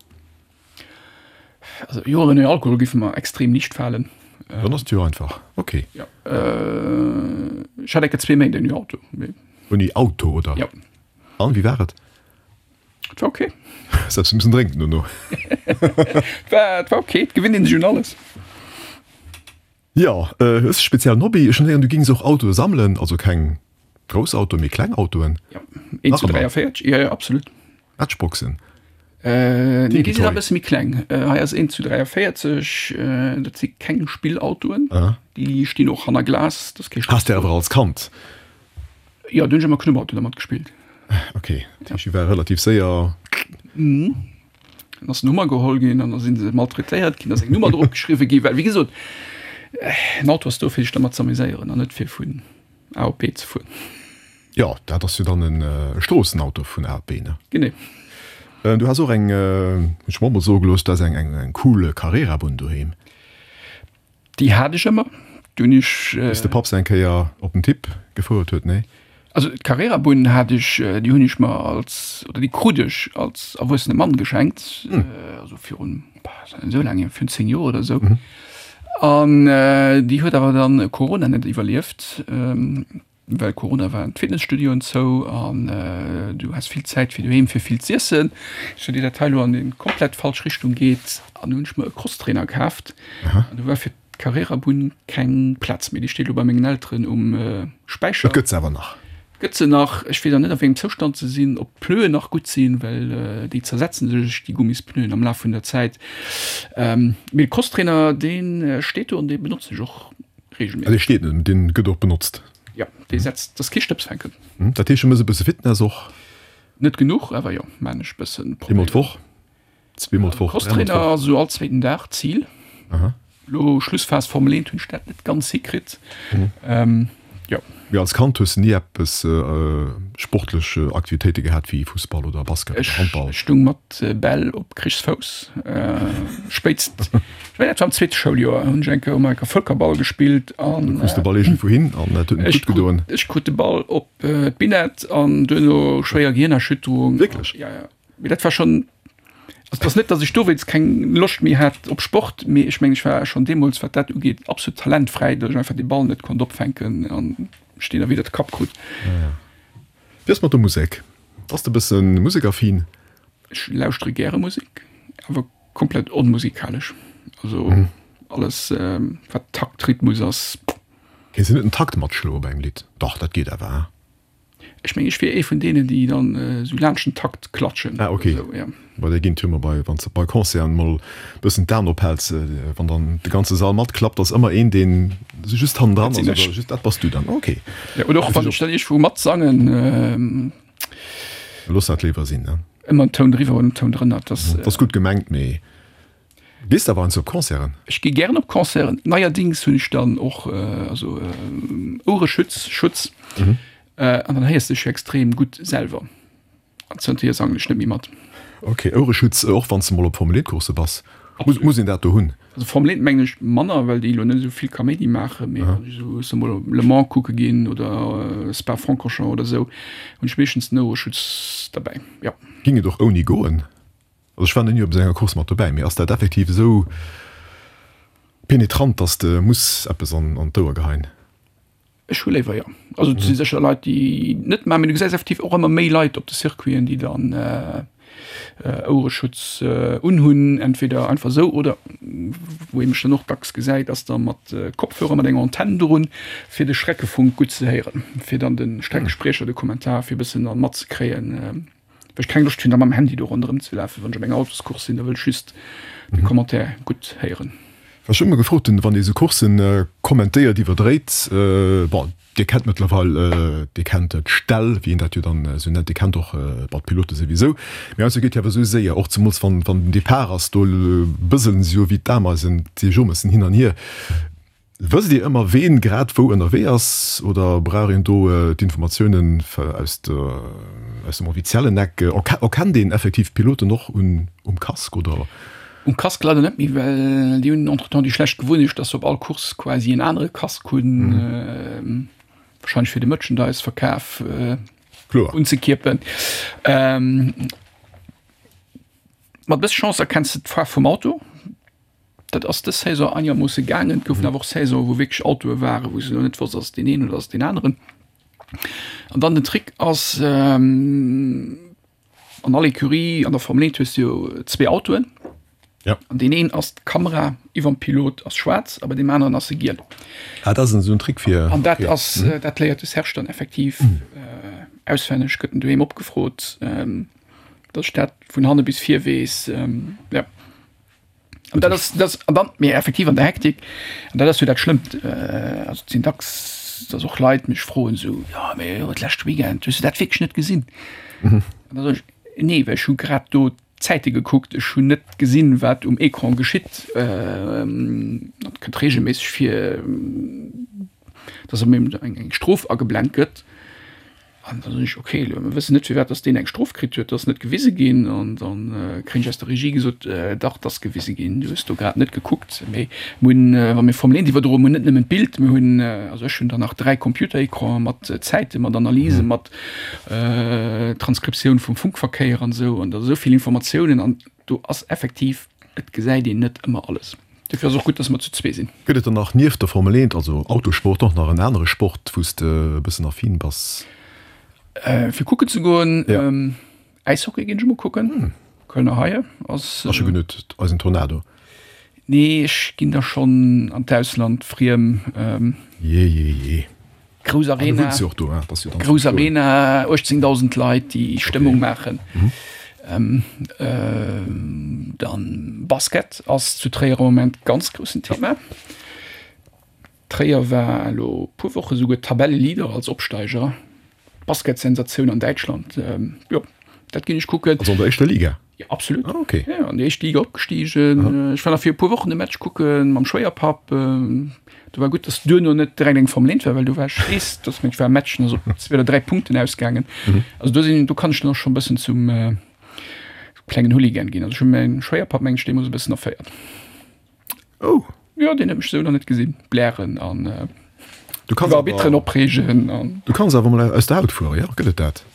Also Joer ouni Alkohol géife mer extrem liicht falen. Dann ass et jo einfach. Ok. Jo. Ech hat enke zwee Méint ouni Auto, mee. Ouni Auto, oder? Jo. An, wéi war et? Et war ok. Hues eppes mussen drénken dono? Et war, et war ok. Et gewinnt een sech un alles. Jo, hues de speziellen Hobby? Ech hunn héieren, du gings och Autoe sammelen, also keng grouss Autoen, mee kleng Autoen. Jo, een zu dräiavéierzeg, jo, jo, absolut. Matchboxen? Nee, déi sinn nach e bësse méi kleng. Hei ass een zu dräiavéierzeg, dat si keng Spillautoen, déi stinn och hanner Glas, dat ass kee Has de awer als Kand? Jo, do hunn ech ëmmer Knubbauto dermat gespillt. Ok, dat heescht, déi ware relativ séier. Dann ass den Hummer geholl ginn an da si se maltraitéiert ginn, da ass eng Nummer drop geschriwwe ginn, well wéi gesot, en Auto ass do fir sech dermat z'amuséieren an net fir vun A op B ze fueren. Jo, dat ass jo dann e Stroossenauto vun A op B, ne? Genee. Du has och eng, hunn ech mer och mol soe gelooss, du has eng eng cool Carrera-Bunn doheem. Déi hat ech ëmmer. Du hunn ech. Bis de Papp se eng Kéier op den Tipp gefouert huet, nee? Also d'Carrera-Bunn hat ech, déi hunn ech mer als, oder déi krut ech als erwuessene Mann geschenkt, also virun, bah, ass net esou laang hier, virun zéng Joer oder esou. An déi huet awer dann Corona net iwwerlieft. Well Corona waren d'Fitnesstudioen zou an du has vill Zäit fir doheem fir vill z'iessen, sou déi dat hei lo an déi komplett falsch Richtung geet. An du hunn ech mer e Crosstrainer kaaft an do war fir d'Carrera-Bunn keng Plaz méi. Déi steet lo bei mengen Elteren um Späicher. Et gëtt se awer nach? Gëtt se nach. Ech weess awer net a wéi engem Zoustand se sinn, ob d'Pneuen nach gutt sinn, well déi zersetzen sech, déi Gummispneuen am Laf vun der Zäit. Mee de Crosstrainer dee steet do an dee benotzen ech och regelméisseg. Dee steet net, dee gëtt och benotzt? Jo, dee setzt, dat ass kee Stëbsfänken. Dat heescht, du méchs e bësse Fitness och? Net genuch, awer jo, maan ech bëssen. Eemol d'Woch? Zweemol d'Woch? Dräimol d'Woch? Crosstrainer ass esou all zweeten Dag d'Zil. Elo Schlussphas Formel eent hunn ech dat net ganz hikritt. Jo. Mee als Kand hues de ni eppes sportlech Aktivitéite gehat wéi Fussball oder Basket oder Handball? Ech stung mat Bäll op Krichsfouss. Spéitst, ech mengen dat war am zweete Schouljoer, hunn ech eng Kéier hu mer eng Kéier Vëlkerball gespillt an. Du krus de Ball iergendwou hin an dat huet net gutt gedoen? Ech krut de Ball op d'Binett an duerno schwéier Gehirnerschütterung. Wierklech? Jo, jo. Mee dat war schonn, also et ass net, datt ech dowéinst keng Loscht méi hat op Sport, mee ech mengen, ech war schonn deemools, wat dat ugeet, absolut talentfräi, datt ech einfach de Ball net konnt opfänken an ech deen da widder de Kapp krut. Wéi ass mat der Musek? Bass de e bësse musekaffin? Ech lauschtere gäre Musek, awer komplett onmusikalesch. Also alles, wat Takt, Rhythmus ass. Kéints de net en Takt matschloe bei engem Lidd? Dach, dat geet awer, hein? Ech mengen, ech wier ee vun deenen, déi dann esou laanscht den Takt klatschen. Ah, ok. Bei där ginn d'Hummer bei, wann s de bei Concerten mol bëssen d'Aen ophäls, wann dann de ganze Sall matklappt, ass ëmmer een, deen esou just hannendran ass oder just, dat bass du dann. Ok. Jo, oder och wann ech dann iergendwou matsangen. Looss dat léiwer sinn, ne? Ëmmer en Toun driwwer oder en Toun drënner, dat ass. Dat ass gutt gemengt, mee gees de awer heiansdo op Concerten? Ech gi gären op Concerten. Neierdings hunn ech dann och also Ouereschutz, Schutz. An dann héiers de dech jo extrem gutt selwer. An zënterhier sangen ech net méi mat. Ok, Ouereschutz och wann s de mol op Formel eent Coursse bass? Muss een dat do hunn? Also Formel eent mengen ech manner, well déi elo net esou vill Kaméidi maachen. Mee wann ech esou soe mol Le Mans kucke ginn oder Spa-Francorchamps oder esou, hunn ech meeschtens den Ouereschutz derbäi, jo. Ging et och ouni goen? Also ech war nach ni op esou enger Course mat dobäi, mee ass dat effektiv esou penetrant, dass de muss eppes an an d'Ouer geheien? Ech hu léiwer, jo. Also et si sécher Leit, déi net maachen, mee du gesäis effektiv och ëmmer méi Leit op de Circuiten, déi dann Ouereschutz unhunn, entweder einfach esou oder, wou ee mech dann och dacks gesäit, ass da mat Kopfhörer mat enger Antenn drun, fir de Streckefunk gutt ze héieren, fir dann de Streckespriecher, de Kommentar fir e bëssen da matzekréien, well ech keng Loscht hunn, da mam Handy do ronderëm ze lafen, wann ech op enger Autoscourse sinn, da wëll ech just de Commentaire gutt héieren. Wat ech ëmmer gefrot hunn, wann ee sou Courssen kommentéiert, iwwerdréit, bon, Dir kennt mëttlerweil, Dir kennt d'Ställ, wéi een dat jo dann esou nennt, Dir kennt och, bon, d'Pilote souwisou, mee heiansdo geet jo awer esou séier, och zemools wann, wann den Depart ass, do bëselen se jo wéi d'Ameisen d'Seejomessen hin an hier. Wësst Dir ëmmer, ween grad wou ënnerwee ass, oder brauch een do d'Informatiounen aus der, aus dem offiziellen Eck? Erkennt een effektiv d'Piloten och un, um Casque, oder? Um Casque leider net méi, well déi hunn entretemps déi schlecht Gewunnecht, dass se op all Course quasi en anere Casque hunn, wahrscheinlech fir de Merchandise-Verkaf unzekierpen. Mat bësse Chance erkenns de d'Faarf vum Auto. Dat ass dës Saison einegermoosse gaangen. Et goufen awer och Saisonen, wou wierklech Autoe waren, wou s de elo net wosst, ass et deen een oder ass et deen aneren. An dann den Trick ass, an all Ecurie an der Formel eent hues de jo zwee Autoen. Ja. An deen een ass d'Kamera iwwerm Pilot ass schwaarz a bei deem aneren ass se giel. Ah, dat ass esou en Trick fir. An dat ass, dat léiert de Serge dann effektiv auswenneg, gëtt en doheem opgefrot, datt ech dat vun hanne bis vir weess. Ja. An dat ass, dat ass, an dann, mee effektiv an der Hektik, an dat ass jo dat Schlëmmt, also et sinn dacks, datt och Leit mech froen esou, jo mee jo d'leschte Weekend, hues de dat wierklech net gesinn? An da soen ech, nee, well ech hu grad do d'Zäite gekuckt, ech hunn net gesinn, wat um Ecran geschitt. Dat kënnt reegelméisseg vir, datt op eemol eng Strof ageblent gëtt. An da soen ech, ok, elo mir wëssen net firwat datt deen eng Strof kritt huet, dat ass net gewise ginn. An da kréien ech aus der Regie gesot, dach, dat ass gewise ginn, du hues do grad net gekuckt. Mee mir hunn, wa mir Formel eent iwwerdroen, mir hunn net nëmmen d'Bild, mir hunn, also ech hunn dann nach dräi Computerecranen mat Zäiten, mat Analysen, mat Transkriptioun vum Funkverkéier an esou. An da esou vill Informatiounen an do ass effektiv, et gesäit een net ëmmer alles. Dofir ass och gutt, dass mer zu zwee sinn. Gëtt et dann nach nieft der Formel eent, also Autosport, och nach en anere Sport, wou s de e bëssen affin bass? Fir kucken ze goen? Äishockey ginn ech emol kucken. Kölner Haie ass. Ass scho genuch eisen Tornado? Nee, ech ginn da schonn an d'Ausland, friem. Jee, jee, jee. Grouss Arena, grouss Arena, uechtzéngdausend Leit, déi Stëmmung maachen. Dann Basket ass zu Tréier am Moment ganz groussen Thema. Tréier war elo puer Woche souguer Tabelleleader als Opsteiger. Basketsensatioun an Däitschland. Jo, dat ginn ech kucken. Also an der éischter Liga? Ja, absolut. Ah, okay. Ja, an déi éischt Liga opgestigen. Ech war nach fir e puer Wochen e Match kucke mam Schwéierpapp. Do war gutt, dass duerno net direkt eng Formel eent war, well do war ech weess, dass meng war Matchen also zwee oder dräi Punkten ausgaangen. Also do sinn, do kann ech dann och schonn e bëssen zum klengen Hooligan ginn. Also ech hu mäin Schwéierpapp meng ech deemools e bëssen erféiert. Oh. Jo, deen huet mech esou nach net gesinn blären an Du kanns Arbitteren opreegen an. Du kanns awer mol aus der Haut fueren, jo? Gëtt et dat?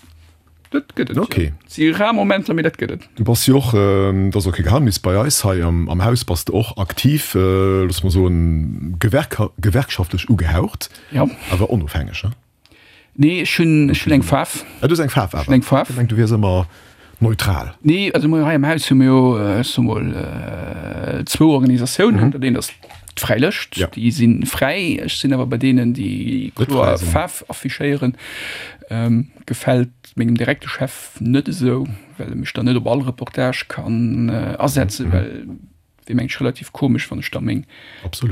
Dat gëtt et, okay. Jo. Si rar Momenter, mee dat gëtt et. Du bass jo och, dat ass och kee Geheimnis, bei eis hei am am Haus bass de och aktiv, looss mer soen, gewerk gewerkschaftlech ugehaucht, Jo. awer onofhängeg, ne? Nee, ech hunn, ech hunn eng Faarf. Ah, du hues eng Faarf awer. Ech hunn eng Faarf. Ech hu gemengt, du wiers ëmmer neutral. Nee, also mir hei am Haus hu mir jo, ech soe mol, zwou Organisatiounen. Dat eent ass d'Fräi Lëscht, Ja. déi si fräi. Ech sinn awer bei deenen, déi Net kloer fräi sinn. Faarf affichéieren. Gefält mengem direkte Chef net esou, well e mech dann net op all Reportage kann asetzen, well wier mengen ech relativ komesch, wann ech da meng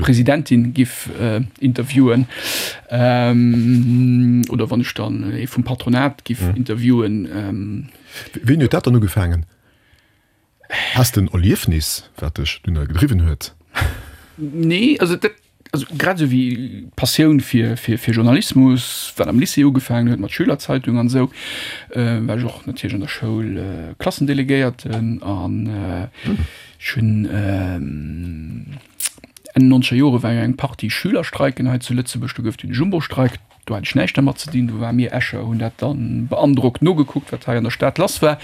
Presidentin giff interviewen oder wann ech dann ee vum Patronat giff interviewen. Wéini huet dat dann ugefaangen? Has de en Erliefnis, wat dech dunner gedriwwen huet? Nee, also dat, also grad esou wéi d'Passioun fir, fir, fir Journalismus, wat am Lycée ugefaangen huet mat Schülerzeitung an esou, war ech och natierlech an der Schoul Klassendelegéierten an ech hunn Enn nonzeger Jore war jo eng Partie Schülerstreiken hei zu Lëtzebuerg, do gouf den Jumbo-Streik Do hat ech näischt dermat ze dinn. Do war mir Escher hunn dat dann beandrockt nogekuckt, wat hei an der Stad lass war.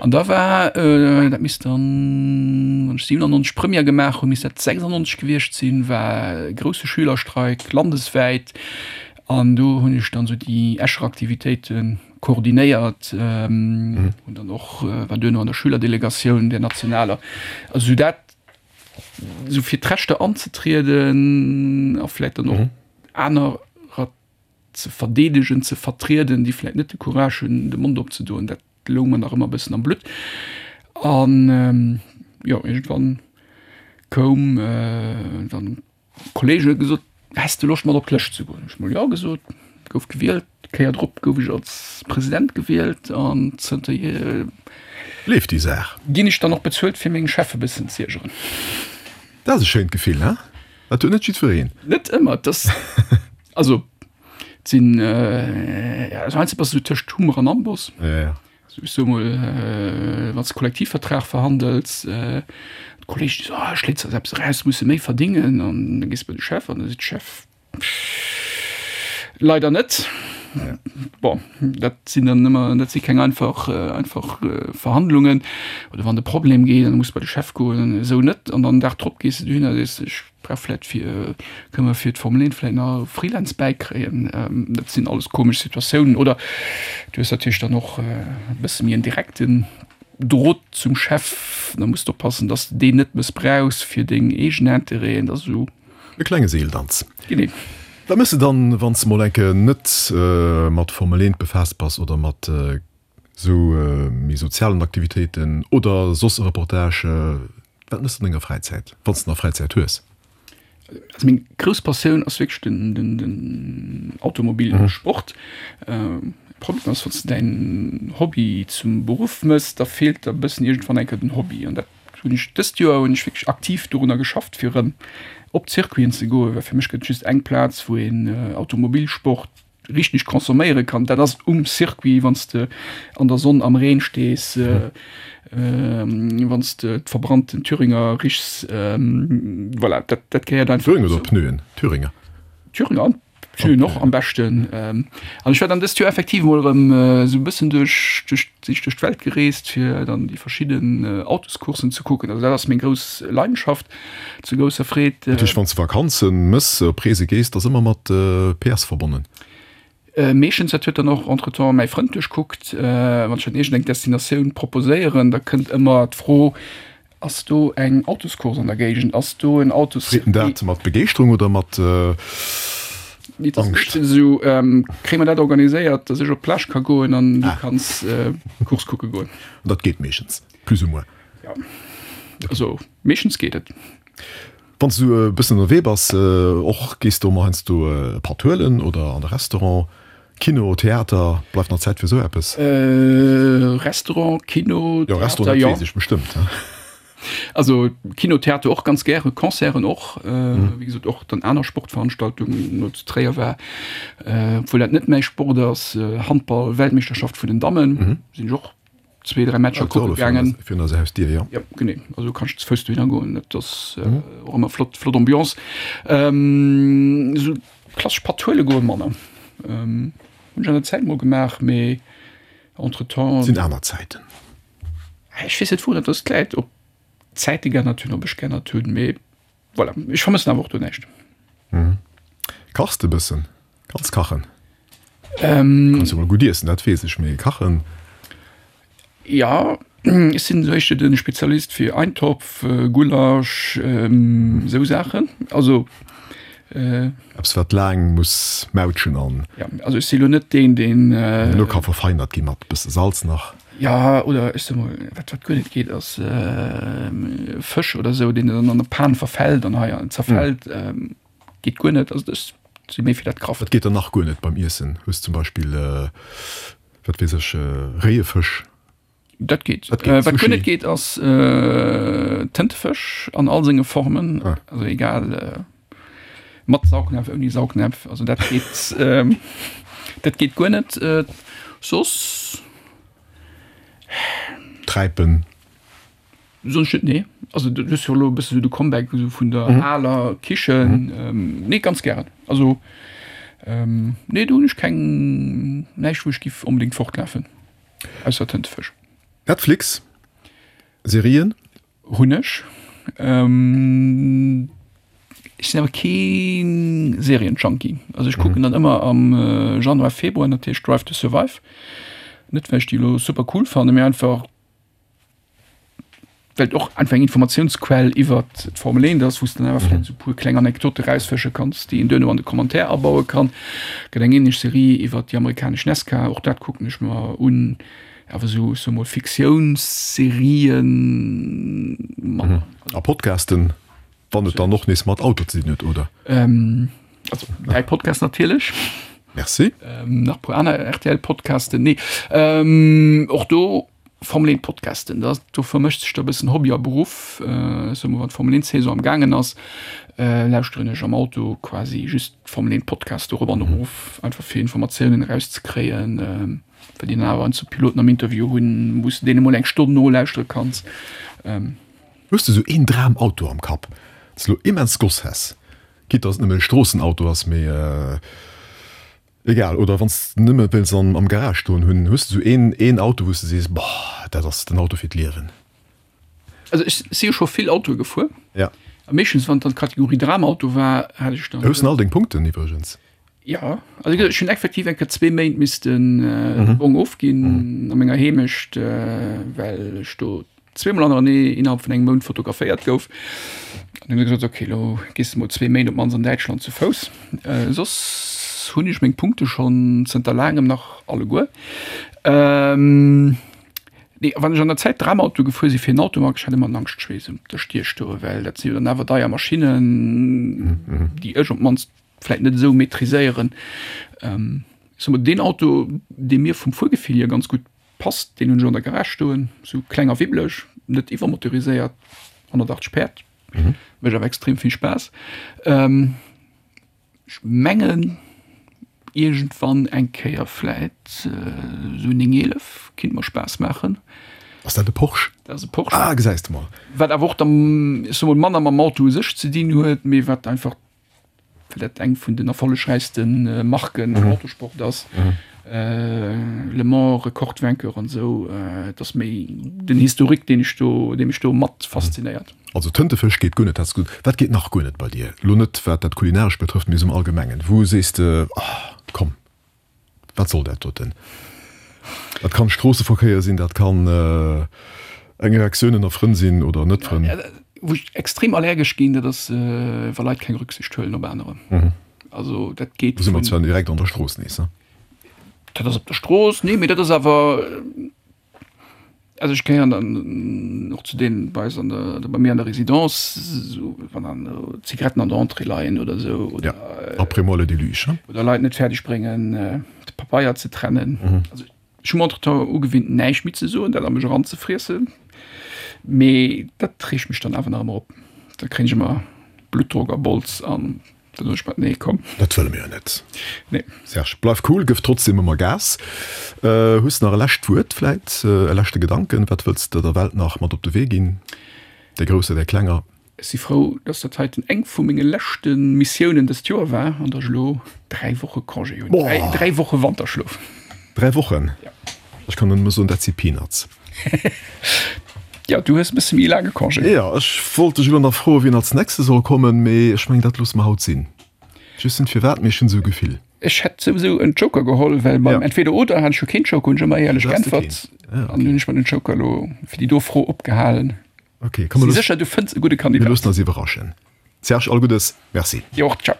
An da war, dat misst dann, wann ech siwenannonzeg Première gemaach hunn, misst dat sechsundneunzeg gewiescht sinn, war e grousse Schülerstreik landeswäit. An do hunn ech dann esou déi Escher Aktivitéite koordinéiert, hunn dann och, war duerno an der Schülerdelegatioun, der nationaler. Also esou dat, esou fir d'Rechter anzetrieden a vläicht dann och anerer ze verdeedegen, ze vertrieden, déi vläicht net de Courage hunn, de Mond opzedoen, dat loung mer nach ëmmer e bëssen am Blutt. An jo, iergendwann koum dann e Kolleeg huet gesot, Häss de Loscht mat op d'Lëscht ze goen? Hu ech mol jo gesot, gouf gewielt. D'Kéier drop gouf ech als President gewielt an zënterhier Leeft déi Saach. Ginn ech dann och bezuelt fir meng Chef e bëssen z'iergeren. Dat ass e schéint Gefill, he? Dat huet net jiddwereen. Net ëmmer, et ass, also et sinn, also heiansdo bass de esou tëscht Hummer an Amboss. Ja, ja. Also ech soe mol, wann s de Kollektivvertrag verhandels, d'Kolleegen déi soen, ah schléits eis eppes eraus, musse méi verdingen, an da gees de bei de Chef an da seet de Chef, Leider net. Bon, dat sinn dann ëmmer, dat si keng einfach, einfach Verhandlungen. Oder wann de Problem geet, dann muss bei de Chef goen, esou net. An dann den Dag drop gees de dohinner a sees, ech brauch vläicht fir, kënne mer fir d'Formel eent vläicht nach e Freelance bäikréien. Dat sinn alles komesch Situatiounen. Oder du hues natierlech dann och e bësse méi en direkten Drot zum Chef. Da muss de oppassen, datt s de deen net mëssbrauchs fir deng eegen Interêten. Dat ass esou. E klenge Seeldanz. Genee. Wat méchs de dann, wann s de mol eng Kéier net mat Formel eent befaasst bass oder mat esou méi sozialen Aktivitéiten oder soss e Reportage? Wat méchs de an denger Fräizäit, wann s de nach Fräizäit hues? Also meng grouss Passioun ass wierklech den, den, den Automobilsport. Problem ass, wann s de däin Hobby zum Beruff méchs, da feelt der e bëssen iergendwann eng Kéier den Hobby. An dat hunn ech dëst Joer hunn ech wierklech aktiv dorunner geschafft, fir erëm op d'Circuiten ze goen, well fir mech gëtt et just eng Plaz, wou een Automobilsport richteg consomméiere kann, dat ass um Circuit, wann s de an der Sonn am Reen stees, wann s de d'verbrannten Thüringer richs, voilà, dat dat gehéiert einfach Thüringer oder Pneuen? Thüringer. Thüringer an Pneuen och am beschten. An ech war dann dëst Joer effektiv emol erëm esou e bëssen duerch duerch sinn ech duerch d'Welt gereest, fir dann déi verschidden Autoscourssen ze kucken. Also dat ass meng grouss Leidenschaft, zu grousser Freed. Dat heescht, wann s de Vakanzen mëss, op Reese gees, dat ass ëmmer mat P S verbonnen? Meeschtens, dat huet dann och entretemps mäi Frënd duerchkuckt. Wann ech dann iergendeng Destinatioun proposéieren, da kënnt ëmmer d'Fro, Ass do eng Autoscourse an der Géigend? Ass do en Autoscircuit? Freet en dat mat Begeeschterung oder mat Angscht? Esou, kréie mer dat organiséiert, dass ech op d'Plage ka goen an du kanns d'Course kucke goen. An dat geet meeschtens, plus ou moins? Jo, also meeschtens geet et. Wann s du e bëssen ënnerwee bass, och gees du emol heiansdo e Patt huelen oder an de Restaurant, Kino, Theater, bleift nach Zäit fir esou eppes? Restaurant, Kino, Theater, jo. Restaurant, dat weess ech bestëmmt. Also Kino, Theater och ganz gäre, Concerten och, wéi gesot och dann aner Sportveranstaltungen, no zu Tréier war, obwuel dat net mäi Sport ass, Handball, Weltmeeschterschaft vun den Dammen, sinn ech och zwee, dräi Matcher kucke gaangen. Virun eiser Hausdier, jo. Jo, genee. Also kanns du ze Fouss dohinner goen. Dat ass och ëmmer flott, flott Ambiance. Esou klassesch Patt huele goe manner. Hunn ech an der Zäit mol gemaach, mee entretemps. Sinn aner Zäiten. Ech weess net wou dat ass läit, ob d'Zäite geännert hunn, ob ech geännert hunn, mee voilà, ech vermëssen awer och do näischt. Kachs de bëssen? Kanns kachen? Kanns jo mol gutt iessen, dat weess ech, mee kachen? Jo, ech sinn esou éischter de Spezialist fir Eintopf, Gulasch, esou Saachen. Also. Eppes wat laang muss mautschen an. Jo, also ech si lo net deen, deen. Elo ka verfeinert gi mat bësse Salz nach. Jo, oder ech soe mol, wat wat guer net geet, ass Fësch oder esou, deen dann an der Pan verfält an hei zerfält. Geet guer net. Also ech si méi fir dat Grafft. Wat geet dann nach guer net beim Iessen? Hues zum Beispill, wat weess ech, réie Fësch? Dat geet. Dat geet. Wat guer net geet, ass Tëntefësch an all senge Formen. Ah. Also egal, mat Saugnäpf, ouni Saugnäpf. Also dat geet, dat geet guer net. Soss. Träipen. Soss net, nee. Also du hues jo elo e bësse sou de Comeback esou vun der aler Kichen. Nee, ganz gären. Also Nee, do hunn ech keng, näischt wou ech giff onbedéngt fortlafen, ausser Tëntefësch. Netflix, Serien? Hunn ech. Ech sinn awer kee Serienjunkie. Also ech kucken dann ëmmer am Januar, Februar natierlech Drive to Survive. Net well ech déi elo super cool fannen, mee einfach well et och einfach eng Informatiounsquell iwwert d'Formel eent ass, wou s de dann awer vläicht esou e puer kleng Anekdote rausfësche kanns, déi een duerno an de Commentaire abaue kann. Gëtt eng ähnlech Serie iwwert déi amerikanesch NASCAR, och dat kucken ech mer un. Awer esou, ech soe mol, Fiktiounsserien manner. A Podcasten, wann et dann och nees mat Auto ze dinn huet, oder? Also däi Podcast natierlech. Merci. Nach e puer aner R T L-Podcasten. Nee, och do Formel eent Podcasten, da do vermëscht sech da e bëssen Hobby a Beruff. Ech soe mol, wann d'Formel eent Saison am gaangen ass, lauschteren ech am Auto quasi just Formel eent Podcast dorop an erof, einfach fir Informatiounen erauszekréien, well déi dann awer heiansdo Piloten am Interview hunn, wou s de deene mol eng Stonn nolauschtere kanns. Hues de sou een Dramauto am Kapp, deen s elo immens goss häss, quitte dass et nëmmen e Stroossenauto ass, mee egal, oder wann s de nëmme wéils an am Garage stoen hunn, hues de sou een een Auto wou s de sees, boah, dat ass den Auto fir d'Liewen? Also ech si jo scho vill Autoe gefuer. Ja. A meeschtens wann et dann d'Kategorie Dramauto war, hat ech dann. Hues en all deng Punkten iwwregens? Jo, also ech hunn effektiv eng Kéier zwee Méint missten de Bong ofginn a menger Heemecht, well ech do zweemol hannerenee innerhalb vun engem Mount fotograféiert gouf. An hunn gesot, okay, elo gees de mol zwee Méint op d'mannst an Däitschland zu Fouss. Soss hunn ech meng Punkte schonn zënter laangem nach alleguer. Nee, wann ech an der Zäit Dramauto gefuer sinn, fir en Auto mat, ech hat ëmmer en Angschtschweess op der Stier stoen, well dat si jo dann awer deier Maschinnen, déi ech op d'mannst vläit net esou maîtriséieren. Ech soe mol, deen Auto, dee mir vum Fuergefill hier ganz gutt passt, deen hunn ech an der Garage stoen, esou kleng a wibbeleg, net iwwermotoriséiert, honnertachtzeg Päerd, mécht awer extrem vill Spaass. Ech mengen, iergendwann eng Kéier vläit esou en néng eelef kinnt mer Spaass maachen. Ass dat e Porsche? Dat ass e Porsche. Ah, gesäis de mol. Wat awer och dann, ech soe mol, manner mam Auto u sech ze dinn huet, mee wat einfach, well dat eng vun den erfollegräichste Marken am Autosport ass, Le Mans, Rekordvainqueur an esou, et ass méi den Historique, deen ech do, dee mech do mat faszinéiert. Also Tëntefësch geet guer net, dat ass gutt. Wat geet nach guer net bei dir? Elo net wat dat Kulinarescht betrëfft, mee esou am Allgemengen. Wou sees de, oh komm, wat soll dat doten? Dat kann Stroosseverkéier sinn, dat kann eng Reaktioun ënner Frënn sinn oder net Frënn. Wou ech extrem allergesch ginn, dat ass wa Leit keng Rücksicht huelen op anerer. Also dat geet. Do si mer zwar direkt an der Strooss nees, ne? Dat ass op der Strooss, nee, mee dat ass awer, also ech gehéieren dann och zu deenen bei eis an der, oder bei mir an der Résidence, esou wann dann Zigaretten an der Entrée leien oder esou, oder. Ja, après moi le déluge, hein. Oder Leit net fäerdeg bréngen de Pabeier ze trennen. Also ech hu mer entretemps ugewinnt näischt méi ze soen, dat a mech eranzefriessen, mee dat reegt mech dann awer nach ëmmer op. Da kréien ech ëmmer Bluttdrock a Bols an da soen ech mer, nee komm. Dat wëlle mir jo net. Nee. Serge, bleif cool, gëff trotzdem ëmmer Gas. Hues de nach e lescht Wuert vläit, e leschte Gedanken? Wat wëlls de der Welt nach mat op de Wee ginn, där grousser, där klenger? Ech si frou, dass dat heiten eng vu menge leschte Missiounen dëst Joer war an dass ech elo dräi Woche Congé hunn. Dräi, dräi Woche Wanterschlof. Dräi Wochen? Ja. Ech kann nëmme soen, dat si Peanuts. Ja, du hues e bësse méi laange Congé. Jo, ech wollt dech elo nach froen, wien als nächste soll kommen, mee ech mengen, dat loosse mer haut sinn. Ech weess net firwat, mee ech hunn esou e Gefill. Ech hätt souwisou en Joker geholl, well beim Entweder-Oder hat ech jo keen Joker, hunn ech ëmmer éierlech Du has de geäntwert. keen. Ah, An okay. hunn ech mer den Joker elo fir déi do Fro opgehalen. Okay, komm, Si mir sécher, du fënns e gudde mir Kandidat. loossen eis iwwerraschen. Serge, all Guddes, merci. Dir och, ciao.